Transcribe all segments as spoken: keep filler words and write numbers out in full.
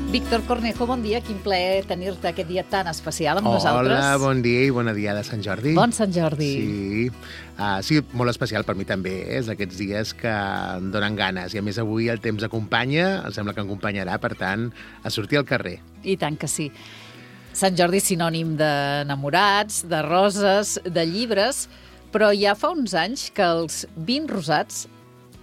Víctor Cornejo, bon dia. Quin plaer tenir-te aquest dia tan especial amb nosaltres. Hola, bon dia i bona dia de Sant Jordi. Bon Sant Jordi. Sí, uh, sí, molt especial per mi també, eh? És aquests dies que em donen ganes. I a més avui el temps acompanya, em sembla que acompanyarà, per tant, a sortir al carrer. I tant que sí. Sant Jordi és sinònim d'enamorats, de roses, de llibres, però ja fa uns anys que els vins rosats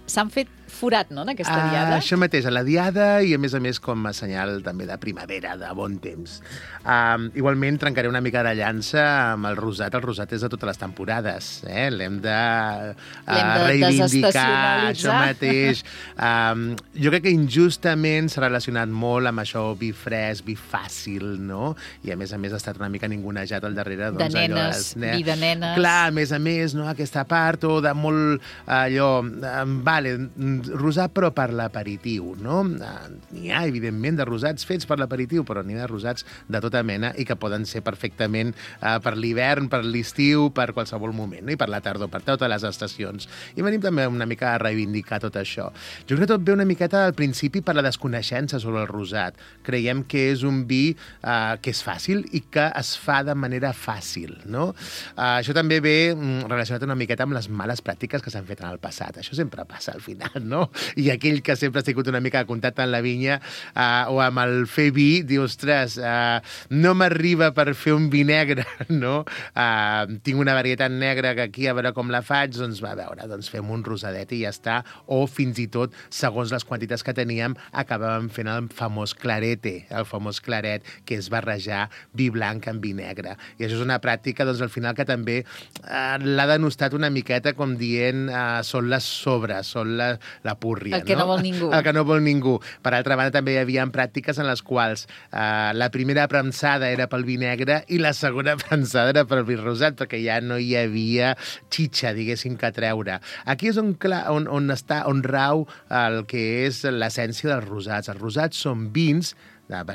s'han fet forat, no?, en aquesta Uh, diada. això mateix, a la diada i, a més a més, com a senyal també de primavera, de bon temps. Uh, igualment, trencaré una mica de llança amb el rosat. El rosat és de totes les temporades. Eh? L'hem de, uh, L'hem de reivindicar, desestacionalitzar. això mateix. Um, jo crec que injustament s'ha relacionat molt amb això, vi fresc, vi fàcil, no? I, a més a més, ha estat una mica ningunejat al darrere. De Doncs, nenes, allò, vi de nenes. Clar, a més a més, no? Aquesta part, o de molt, allò, um, vale, rosat però per l'aperitiu, no? N'hi ha, evidentment, de rosats fets per l'aperitiu, però n'hi ha de rosats de tota mena i que poden ser perfectament uh, per l'hivern, per l'estiu, per qualsevol moment, no? I per la tardor, per totes les estacions. I venim també una mica a reivindicar tot això. Jo crec que tot ve una miqueta al principi per la desconeixença sobre el rosat. Creiem que és un vi uh, que és fàcil i que es fa de manera fàcil, no? Uh, això també ve mm, relacionat una miqueta amb les males pràctiques que s'han fet en el passat. Això sempre passa al final, no? I aquell que sempre ha sigut una mica de contacte amb la vinya uh, o amb el fer vi, diu, ostres, uh, no m'arriba per fer un vi negre, no? Uh, tinc una varietat negra que aquí a veure com la faig, doncs va, a veure, doncs fem un rosadet i ja està. O fins i tot, segons les quantitats que teníem, acabàvem fent el famós clarete, el famós claret, que és barrejar vi blanc amb vi negre. I això és una pràctica, doncs, al final, que també uh, l'ha denostat una miqueta com dient uh, són les sobres, són la, la púrria, el que no, no vol ningú. El que no vol ningú. Per altra banda, també hi havia pràctiques en les quals eh, la primera premsada era pel vi negre i la segona premsada era pel vi rosat, perquè ja no hi havia xitxa, diguéssim, que treure. Aquí és on, clar, on, on, està, on rau el que és l'essència dels rosats. Els rosats són vins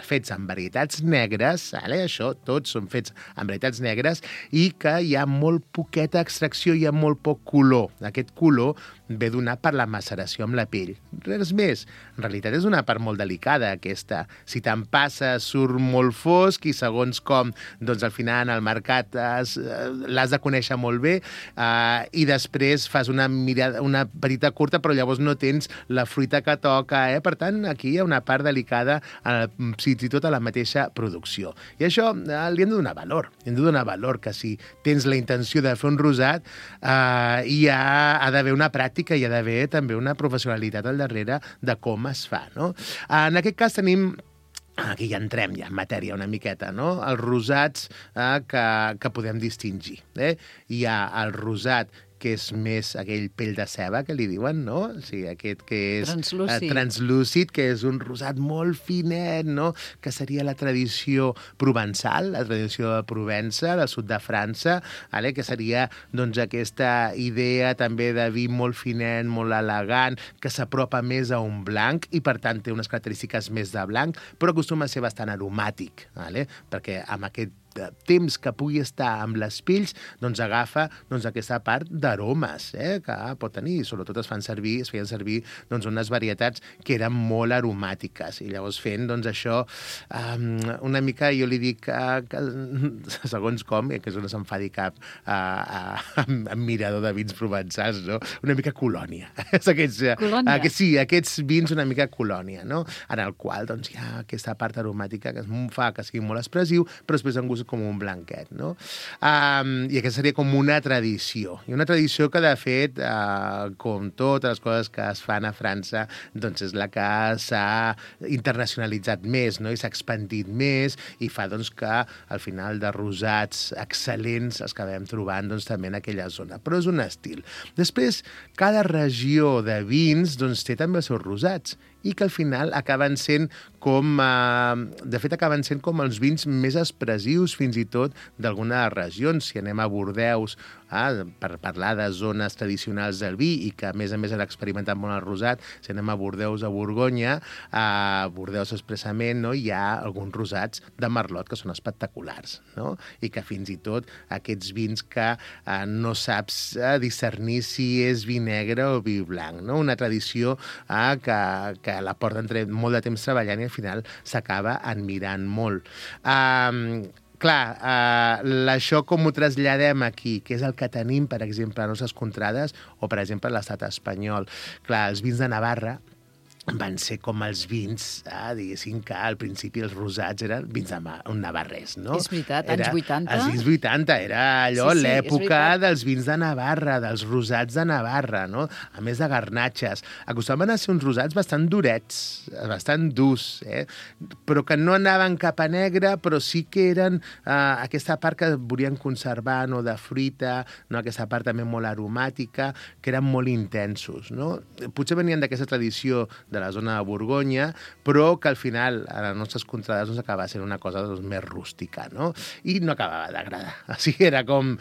fets amb varietats negres, vale? Això, tots són fets amb varietats negres, i que hi ha molt poqueta extracció, hi ha molt poc color. Aquest color ve donat per la maceració amb la pell. Res més. En realitat és una part molt delicada, aquesta. Si te'n passa, surt molt fosc i segons com, doncs al final al mercat l'has de conèixer molt bé eh, i després fas una, mirada, una petita curta, però llavors no tens la fruita que toca. Eh? Per tant, aquí hi ha una part delicada eh, fins i tot a la mateixa producció. I això eh, li hem de donar valor. Hem de donar valor que si tens la intenció de fer un rosat, eh, hi ha, ha d'haver una pràctica, hi ha d'haver també una professionalitat al darrere de com es fa, no? En aquest cas tenim... Aquí ja entrem ja en matèria una miqueta, no? Els rosats eh, que, que podem distingir. Eh? Hi ha el rosat que és més aquell pell de ceba, que li diuen, no? O sigui, aquest que és translúcid. Eh, translúcid, que és un rosat molt finet, no? Que seria la tradició provençal, la tradició de Provença, del sud de França, vale? Que seria doncs, aquesta idea també de vi molt finet, molt elegant, que s'apropa més a un blanc i, per tant, té unes característiques més de blanc, però acostuma a ser bastant aromàtic, vale? Perquè amb aquest temps que pugui estar amb les pells, doncs agafa doncs, aquesta part d'aromes eh, que pot tenir. Sobretot es fan servir, es feien servir doncs, unes varietats que eren molt aromàtiques. I llavors fent doncs, això um, una mica, jo li dic uh, que, segons com, eh, que és on s'enfadi cap uh, uh, amb mirador de vins provençals, no? Una mica colònia. aquests, colònia. Uh, que, sí, aquests vins una mica colònia, no? En el qual doncs, hi ha aquesta part aromàtica que es fa que sigui molt expressiu, però després en gust com un blanquet, no? Um, I aquesta seria com una tradició. I una tradició que, de fet, uh, com totes les coses que es fan a França, doncs és la que s'ha internacionalitzat més, no? I s'ha expandit més i fa doncs, que al final de rosats excel·lents els acabem trobant doncs, també en aquella zona. Però és un estil. Després, cada regió de vins doncs, té també els seus rosats i que al final acaben sent com... Eh, de fet, acaben sent com els vins més expressius fins i tot d'alguna de les regions. Si anem a Bordeus, eh, per parlar de zones tradicionals del vi i que, a més a més, han experimentat molt el rosat. Si anem a Bordeus, a Borgonya, a Bordeus expressament, no, hi ha alguns rosats de merlot que són espectaculars, no? I que fins i tot aquests vins que eh, no saps eh, discernir si és vi negre o vi blanc, no? Una tradició eh, que, que la porten molt de temps treballant i al final s'acaba admirant molt. Um, clar, uh, això com ho traslladem aquí, que és el que tenim, per exemple, a nostres contrades o, per exemple, a l'estat espanyol. Clar, els vins de Navarra van ser com els vins, eh, diguéssim que al principi els rosats eren vins de navarrès, no? És veritat, anys era, vuitanta. Els anys vuitanta, era allò, sí, sí, l'època dels vins de Navarra, dels rosats de Navarra, no? A més de garnatxes. Acostumaven a ser uns rosats bastant durets, bastant durs, eh? Però que no anaven cap a negre, però sí que eren eh, aquesta part que volien conservar, no?, de fruita, no?, aquesta part també molt aromàtica, que eren molt intensos, no? Potser venien d'aquesta tradició de la zona de Borgonya, però que al final a les nostres contrades doncs, acabava sent una cosa doncs, més rústica, no? I no acabava d'agradar. O sigui, era com,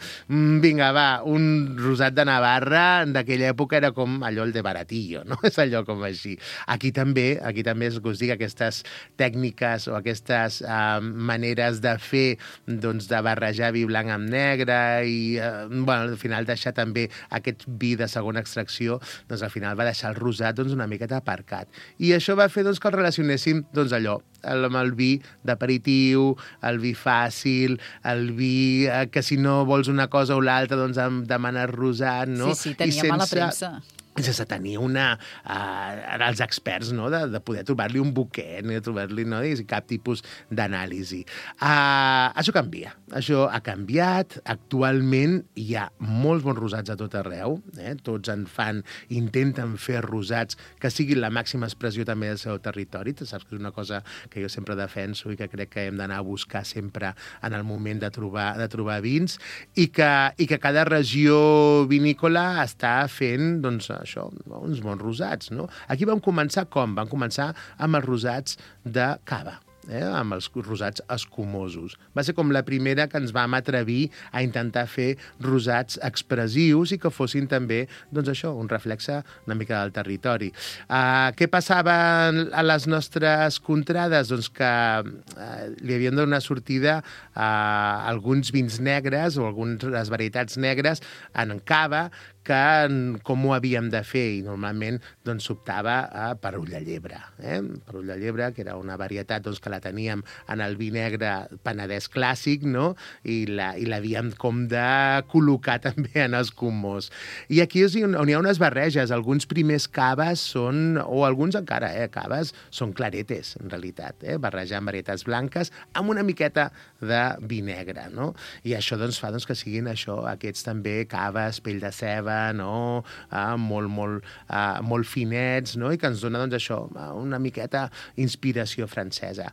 vinga, va, un rosat de Navarra d'aquella època era com allò el de baratillo, no? És allò com així. Aquí també, aquí també és que us dic, aquestes tècniques o aquestes uh, maneres de fer, doncs, de barrejar vi blanc amb negre i, uh, bueno, al final deixar també aquest vi de segona extracció, doncs al final va deixar el rosat doncs, una miqueta aparcat. I això va fer doncs, que el relacionéssim doncs, allò, amb el vi d'aperitiu, el vi fàcil, el vi eh, que si no vols una cosa o l'altra doncs em demanes rosat, no? Sí, sí, tenia sense... mala premsa. sense tenir una... Uh, els experts, no?, de, de poder trobar-li un buquet, ni de trobar-li, no?, i cap tipus d'anàlisi. Uh, això canvia. Això ha canviat. Actualment hi ha molts bons rosats a tot arreu. Eh? Tots en fan, intenten fer rosats que siguin la màxima expressió també del seu territori. Tu saps que és una cosa que jo sempre defenso i que crec que hem d'anar a buscar sempre en el moment de trobar, de trobar vins i que, i que cada regió vinícola està fent, doncs, això, uns bons rosats, no? Aquí vam començar com? Vam començar amb els rosats de cava. Eh, amb els rosats escumosos. Va ser com la primera que ens vam atrevir a intentar fer rosats expressius i que fossin també, doncs això, un reflexe una mica del territori. Uh, què passava a les nostres contrades? Doncs que uh, li havien de donar sortida a alguns vins negres o algunes varietats negres en cava que com ho havíem de fer, i normalment doncs, s'optava a Perull de Llebre. Eh? Perull de Llebre, que era una varietat doncs, que la teníem en el vi negre penedès clàssic, no? I l'havíem com de col·locar també en els comós. I aquí és on hi ha unes barreges. Alguns primers caves són, o alguns encara, eh, caves són claretes, en realitat, eh? barrejant varietats blanques amb una miqueta de vi negre, no? I això doncs, fa doncs, que siguin això, aquests també caves, pell de ceba, no? ah, molt, molt, ah, molt finets, no? I que ens dona doncs, això, una miqueta inspiració francesa.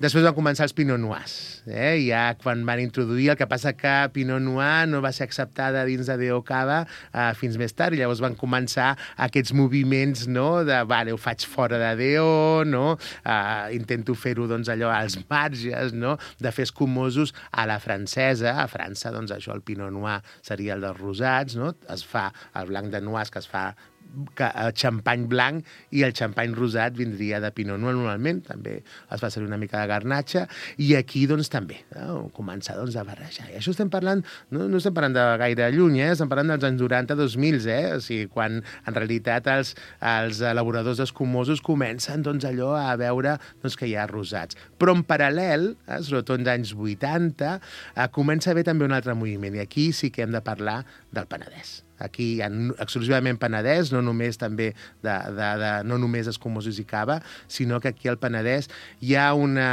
Després van començar els Pinot Noirs, eh? ja quan van introduir, el que passa que Pinot Noir no va ser acceptada dins de D O Cava ah, fins més tard, i llavors van començar aquests moviments, no? de, vale, ho faig fora de D O, no? ah, intento fer-ho doncs, allò als marges, no? de fer escumosos a la francesa. A França, doncs, això, el Pinot Noir seria el dels rosats, no? Es fa el blanc de Noirs, que es fa xampany blanc, i el xampany rosat vindria de Pinot Noir normalment, també es fa servir una mica de garnatxa, i aquí doncs també no? començar doncs, a barrejar. I això estem parlant, no, no estem parlant de gaire lluny, eh? estem parlant dels anys noranta dos mil, eh? o sigui, quan en realitat els, els elaboradors escumosos comencen doncs, allò a veure doncs, que hi ha rosats. Però en paral·lel, eh, sobretot en anys vuitanta, eh, comença a haver també un altre moviment, i aquí sí que hem de parlar del Penedès. Aquí hi ha exclusivament Penedès, no només també de, de, de, no només escumosos i cava, sinó que aquí al Penedès hi ha una,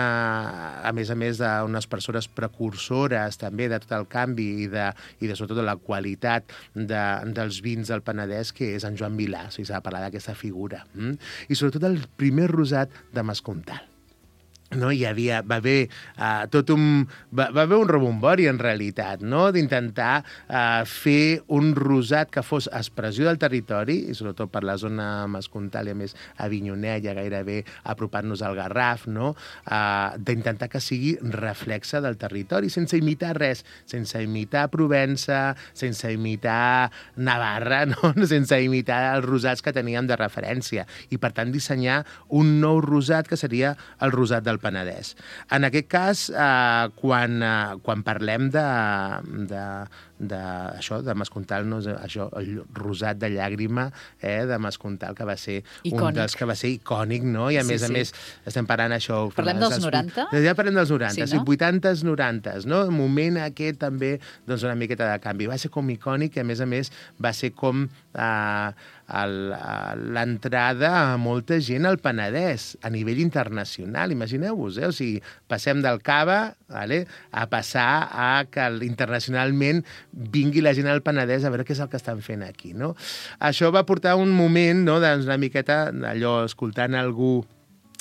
a més a més d'unes persones precursores també de tot el canvi i de, i de sobretot de la qualitat de, dels vins del Penedès, que és en Joan Milà, o sigui, s'ha de parlar d'aquesta figura. Mm? I sobretot el primer rosat de Mascontal. no, hi havia, va haver uh, tot un, va, va haver un rebombori en realitat, no? D'intentar uh, fer un rosat que fos expressió del territori, i sobretot per la zona Mascontal i a més Avinyonet, ja gairebé apropant-nos al Garraf, no? Uh, d'intentar que sigui reflexe del territori, sense imitar res, sense imitar Provença, sense imitar Navarra, no? Sense imitar els rosats que teníem de referència, i per tant dissenyar un nou rosat que seria el rosat del Penedès. En aquest cas, eh, quan, eh, quan parlem de, de, de, això, de Mascontal, no, això, el rosat de llàgrima eh, de Mascontal, que va ser icònic. Un dels que va ser icònic, no? I a sí, més sí. a més, estem parlant això... Parlem dels noranta? Ja parlem dels noranta, sí, no? vuitantes, norantes, no? El moment aquest també, doncs, una miqueta de canvi. Va ser com icònic i, a més a més, va ser com eh, l'entrada a molta gent al Penedès, a nivell internacional. Imagineu-vos, eh? O sigui, passem del Cava, vale, a passar a que internacionalment vingui la gent al Penedès a veure què és el que estan fent aquí, no? Això va portar un moment, no?, doncs una miqueta allò, escoltant algú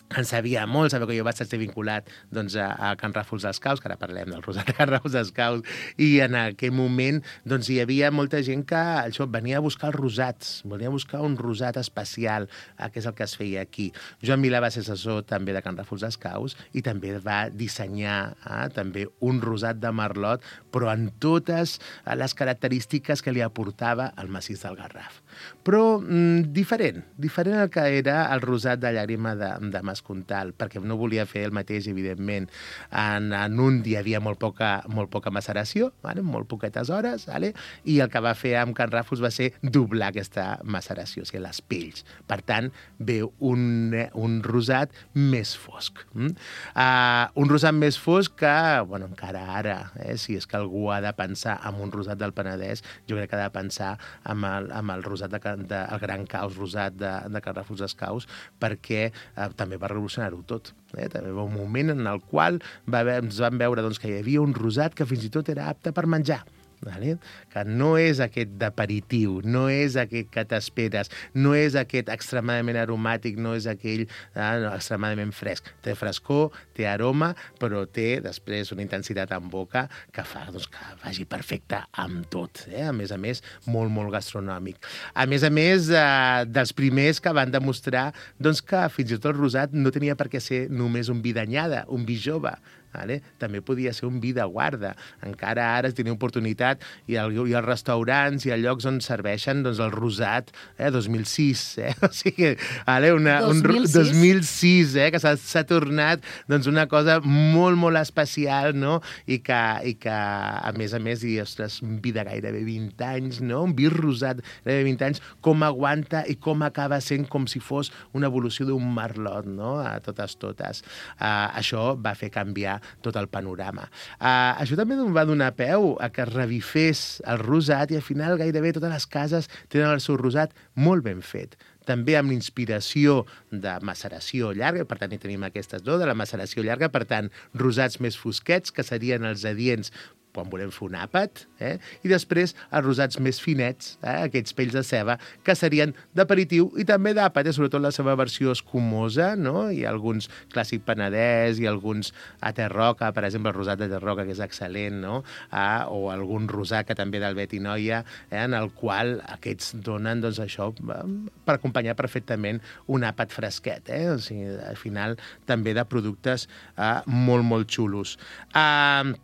en sabia molt, sabeu que jo vaig estar vinculat doncs, a, a Can Ràfols dels Caus, que ara parlem del rosat de Can Ràfols dels Caus, i en aquell moment doncs, hi havia molta gent que això, venia a buscar els rosats, volia buscar un rosat especial, eh, que és el que es feia aquí. Joan Milà va ser assessor també de Can Ràfols dels Caus i també va dissenyar eh, també un rosat de merlot, però en totes les característiques que li aportava el massís del Garraf. Però mm, diferent, diferent al que era el rosat de llàgrima de, de Mascontal, perquè no volia fer el mateix, evidentment. En, en un hi havia molt poca, molt poca maceració, vale? Molt poquetes hores, vale? I el que va fer amb Can Ràfols va ser doblar aquesta maceració, o sigui, les pells. Per tant, ve un, un rosat més fosc. Mm? Uh, un rosat més fosc que, bueno, encara ara, eh, si és que algú ha de pensar en un rosat del Penedès, jo crec que ha de pensar en el, en el rosat de, de, el gran caus rosat de, de Can Ràfols dels Caus, perquè eh, també va revolucionar-ho tot. Eh? També va un moment en el qual va haver, ens vam veure doncs, que hi havia un rosat que fins i tot era apte per menjar. Vale? Que no és aquest d'aperitiu, no és aquest que t'esperes, no és aquest extremadament aromàtic, no és aquell eh, no, extremadament fresc. Té frescor, té aroma, però té després una intensitat en boca que fa doncs, que vagi perfecte amb tot. Eh? A més a més, molt, molt gastronòmic. A més a més, eh, dels primers que van demostrar doncs, que fins i tot el rosat no tenia per què ser només un vi d'anyada, un vi jove. Vale? També podia ser un vi de guarda. Encara ara es tenia oportunitat i, el, i els restaurants i els llocs on serveixen doncs, el rosat eh, dos mil sis. Eh? O sigui, vale? Una, dos mil sis? Un dos mil sis, eh? Que s'ha tornat doncs, una cosa molt, molt especial, no? I que, i que a més a més, i, ostres, un vi de gairebé vint anys, no? Un vi rosat de gairebé vint anys, com aguanta i com acaba sent com si fos una evolució d'un merlot, no? A totes, totes. Uh, això va fer canviar tot el panorama. Uh, això també va donar peu a que es revifés el rosat i al final gairebé totes les cases tenen el seu rosat molt ben fet. També amb l'inspiració de maceració llarga, per tant hi tenim aquestes dues, de la maceració llarga, per tant rosats més fosquets, que serien els adients quan volem fer un àpat, eh? I després els rosats més finets, eh? Aquests pells de ceba, que serien d'aperitiu i també d'àpat, eh? Sobretot la seva versió escumosa, no? Hi ha alguns clàssic penedès i alguns a Terroca, per exemple, el rosat de Terroca, que és excel·lent, no? Ah, o algun rosat que també del Betinoia, eh? En el qual aquests donen, doncs, això, per acompanyar perfectament un àpat fresquet, eh? O sigui, al final, també de productes eh, molt, molt xulos. Ah... Uh,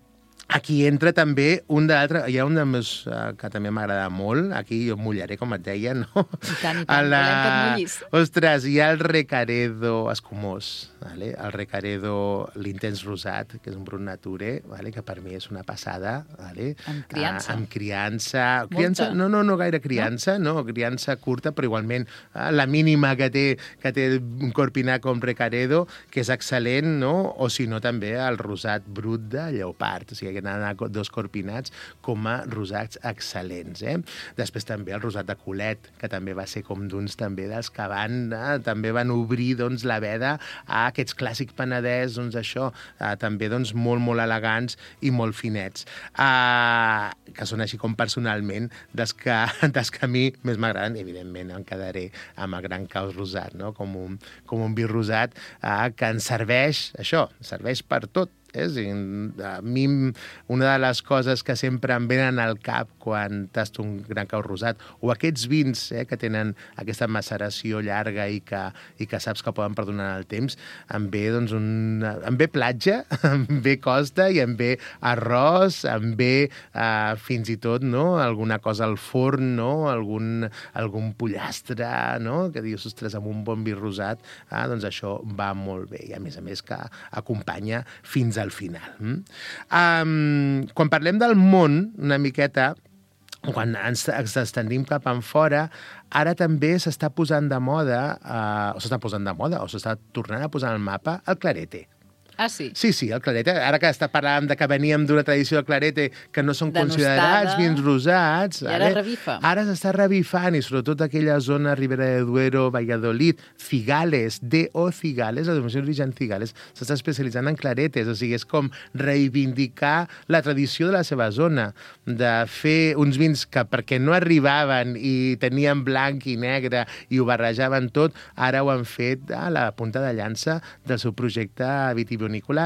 Aquí entra també un d'altre, hi ha un de més, uh, que també m'agrada molt, aquí jo mullaré, com et deia, no? I tant, i tant, la... volem que et mullis. Ostres, hi ha el Recaredo escumós, vale? El Recaredo, l'intens rosat, que és un brut nature, vale? Que per mi és una passada. Vale? Amb criança. Uh, amb criança. criança no, no, no gaire criança, no? no, criança curta, però igualment uh, la mínima que té, que té un corpinar com Recaredo, que és excel·lent, no? O si no també el rosat brut de lleopard, o sigui, feien anar dos corpinats, com a rosats excel·lents. Eh? Després també el rosat de Colet, que també va ser com d'uns també dels que van, eh, també van obrir doncs, la veda a aquests clàssics Penedès, doncs això, eh, també doncs, molt, molt elegants i molt finets. Eh, que són així com personalment dels que, dels que a mi més m'agraden, evidentment em quedaré amb el Gran Caus rosat, no? com, un, com un vi rosat eh, que ens serveix, això, serveix per tot. Eh? A mi, una de les coses que sempre em venen al cap quan tasto un Gran Cau rosat, o aquests vins eh, que tenen aquesta maceració llarga i que, i que saps que poden perdonar el temps, em ve, doncs, un, em ve platja, em ve costa i em ve arròs, em ve eh, fins i tot no? alguna cosa al forn, no? algun, algun pollastre, no? que dius, ostres, amb un bon vi rosat, eh, doncs això va molt bé. I a més a més que acompanya fins al final. Mm? Um, quan parlem del món, una miqueta, quan ens, ens estendim cap en fora, ara també s'està posant de moda, uh, o s'està posant de moda, o s'està tornant a posar al mapa, el clarete. Ah, sí? Sí, sí, el clarete. Ara que està parlant de que veníem d'una tradició del clarete que no són Denostada. considerats vins rosats... I ara revifa. Ara s'està revifant, i sobretot aquella zona, Ribera de Duero, Valladolid, Cigales, D O Cigales, la denominació d'origen Cigales, s'està especialitzant en claretes, o sigui, és com reivindicar la tradició de la seva zona, de fer uns vins que perquè no arribaven i tenien blanc i negre i ho barrejaven tot, ara ho han fet a la punta de llança del seu projecte vitivinícola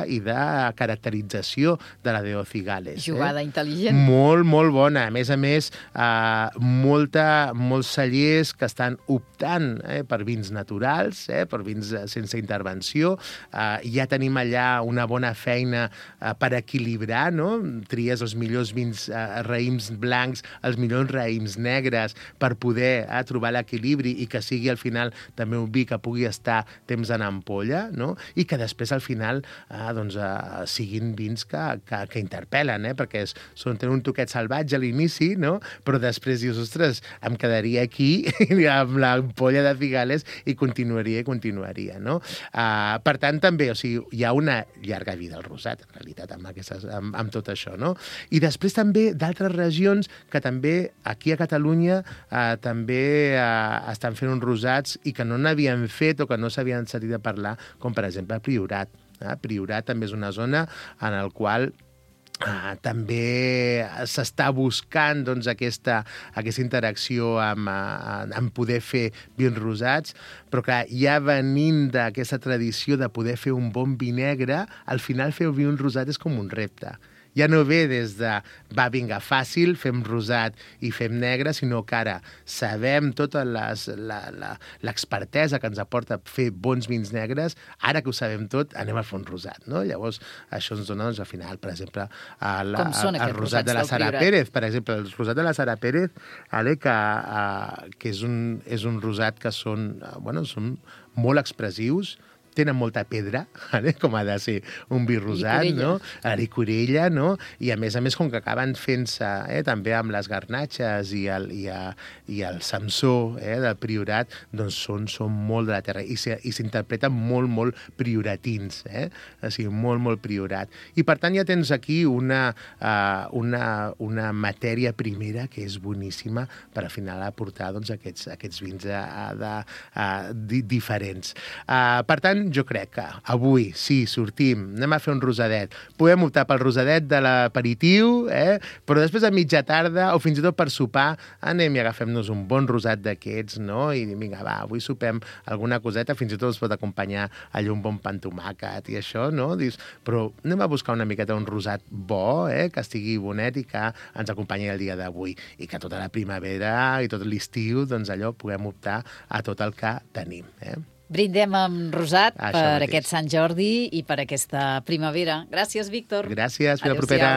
i de caracterització de la D O Cigales. Jugada eh? intel·ligent. Molt, molt bona. A més a més, eh, molta, molts cellers que estan optant eh, per vins naturals, eh, per vins sense intervenció. Eh, ja tenim allà una bona feina eh, per equilibrar, no? Tries els millors vins eh, raïms blancs, els millors raïms negres, per poder eh, trobar l'equilibri i que sigui al final també un vi que pugui estar temps en ampolla, no? I que després al final Ah, doncs, uh, siguin vins que, que, que interpel·len, eh? perquè és, són, tenen un toquet salvatge a l'inici, no? però després dius, ostres, em quedaria aquí amb l'ampolla de Cigales i continuaria i continuaria. No? Uh, per tant, també, o sigui, hi ha una llarga vida al rosat, en realitat, amb, aquestes, amb, amb tot això. No? I després també d'altres regions que també aquí a Catalunya uh, també uh, estan fent uns rosats i que no n'havien fet o que no s'havien sentit a parlar, com per exemple Priorat. Eh? Priorat també és una zona en la qual Uh, també s'està buscant doncs, aquesta, aquesta interacció amb, uh, amb poder fer vins rosats, però clar, ja venint d'aquesta tradició de poder fer un bon vi negre, al final fer un vi rosat és com un repte. Ja no ve des de, va, vinga, fàcil, fem rosat i fem negre, sinó que ara sabem tota l'expertesa que ens aporta fer bons vins negres, ara que ho sabem tot, anem a fer un rosat, no? Llavors, això ens dona, doncs, al final, per exemple, el, el, el rosat de la Sara Pérez, per exemple, el rosat de la Sara Pérez, ale, que, uh, que és, un, és un rosat que són, uh, bueno, són molt expressius, tenen molta pedra, eh? com ha de ser un vi rosat, no? Licorella, no? I a més a més, com que acaben fent-se eh, també amb les garnatxes i el, i a, i el Samsó eh, del Priorat, doncs són, són molt de la terra i s'interpreten molt, molt prioratins, eh? O sigui, molt, molt priorat. I per tant ja tens aquí una, uh, una, una matèria primera que és boníssima per al final aportar doncs, aquests, aquests vins uh, de, uh, di, diferents. Uh, per tant, jo crec que avui, sí, sortim, anem a fer un rosadet. Podem optar pel rosadet de l'aperitiu, eh? però després a mitja tarda, o fins i tot per sopar, anem i agafem-nos un bon rosat d'aquests, no? I vinga, va, avui sopem alguna coseta, fins i tot es pot acompanyar allò un bon pa amb tomàquet i això, no? Dius, però anem a buscar una miqueta un rosat bo, eh? que estigui bonet i que ens acompanyi el dia d'avui. I que tota la primavera i tot l'estiu, doncs allò, puguem optar a tot el que tenim, eh? Brindem amb rosat Això per mateix. aquest Sant Jordi i per aquesta primavera. Gràcies, Víctor. Gràcies, fins la propera.